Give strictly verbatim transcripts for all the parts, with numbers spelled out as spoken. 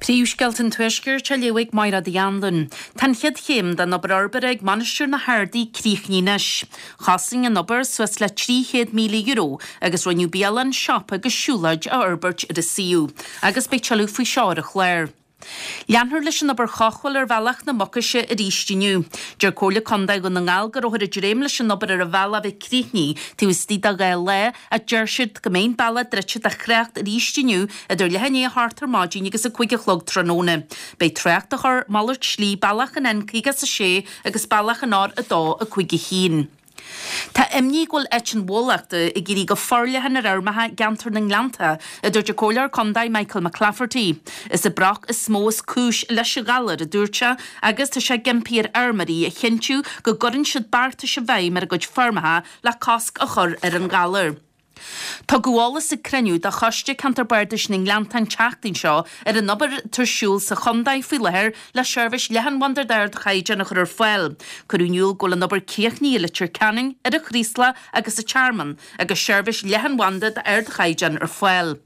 Príomhscéalta an Tuaiscirt á léamh ag Máire Anluain. Tá an chéad chéim den obair fhorbartha ag Mainistir na hArdaí críochnaithe anois. Chosain an obair suas le trí chéad míle euro agus rinneadh bialann, siopa agus siúlóid a fhorbairt ar an suíomh, agus beidh tuilleadh faoi seo ar an chlár. Leanfar leis an obair chothabhála ar bhealach na Mucaise arís inniu. Deir Comhairle Contae Dhún na nGall go rabhthar ag dréim leis an obair ar an bhealach a bheith críochnaithe taobh istigh de dhá lá ach deir siad go mbeidh an bealach druidte do thrácht arís inniu idir leath i ndiaidh a hocht ar maidin agus a cúig a chlog tráthnóna. Beidh trácht á chur malairt slí bealach an N caoga is a sé agus bealach an R a dó a cúig a haon. Tá imní go bhfuil eitinn bhólachta ag éirí go forleathan ar fheirmeacha i gceantar na nGleannta, a dúirt an Comhairleoir Contae Michael McClafferty. Is an broc is mó is cúis leis an ghalar, a dúirt sé, agus tá sé ag impí ar fheirmeoirí a chinntiú go gcuireann siad beartais i bhfeidhm ar a gcuid feirmeacha le cosc a chur ar an ghalar. Tugadh eolas ag cruinniú de Choiste Ceantar Bardais na nGleannta an tseachtain seo ar an obair atá ar siúl sa chontae faoi láthair le seirbhís leathanbhanda d'ardchaighdeán a chur ar fáil. Cuireadh in iúl go bhfuil an obair críochnaithe i Leitir Ceanainn, ar an Chraoslach agus sa Tearmann agus seirbhís leathanbhanda d'ardchaighdeán ar fáil.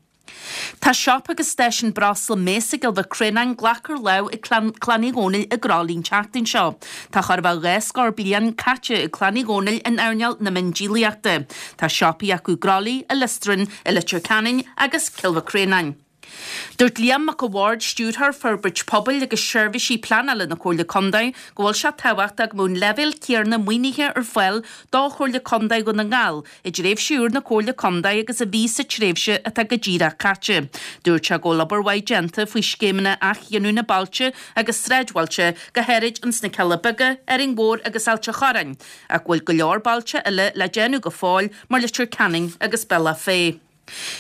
Tá siopa agus stáisiún breosla Mesa i gCill Mhic Réanáin glactha ar láimh ag clann Uí Dhónaill i gCroithlí an tseachtain seo. Tá chóir a bheith dhá scór bliain caite ag clann Uí Dhónaill in earnáil na miondíolaíochta. Tá siopaí acu i gCroithlí, i Liostran, i Leitir Ceanainn agus Cill Mhic Réanáin. Dúirt Liam Mac a' Bhaird, Stiúrthóir Forbairt Pobail agus Seirbhísí Pleanála na Comhairle Contae, go bhfuil sé tábhachtach go mbeadh an leibhéal céanna maoinithe ar fáil do Chomhairle Contae Dhún na nGall i dtréimhse úr na Comhairle Contae agus a bhí sa tréimhse atá go díreach caite. Dúirt sé go bhfuil obair mhaith déanta faoi scéimeanna athghiniúna bailte agus sráidbhailte, go háirid ins na Cealla Beaga, Árainn Mhór agus Ailt a' Chorráin, ach go bhfuil go leor bailte eile le déanamh go fóill mar Leitir Ceanainn agus Bealach Féich.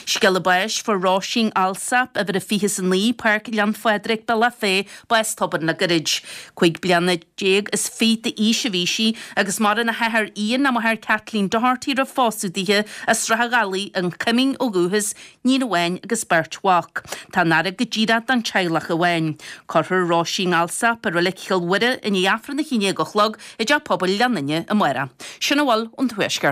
Scéala báis, Fuair Róisín Alsop, uimhir a fiche is a naoi, Páirc Ghleann Phádraig, Bealach Féich, bás tobann le gairid. Cúig bliana déag is fiche d'aois a bhí sí agus maireann a hathair Ian, a máthair Kathleen Doherty roimh phósadh dithe as Srath an Ghallaigh, an Coimín ó dhúchas, níon amháin agus beirt mhac. Tá an fhaire go díreach don teaghlach amháin. Cuirfear Róisín Alsop i Reilig Chill Mhuire i ndiaidh Aifreann a haon déag a chlog i dTeach Pobail Ghleann Fhinne amárach. Sin a bhfuil ón Tuaisceart.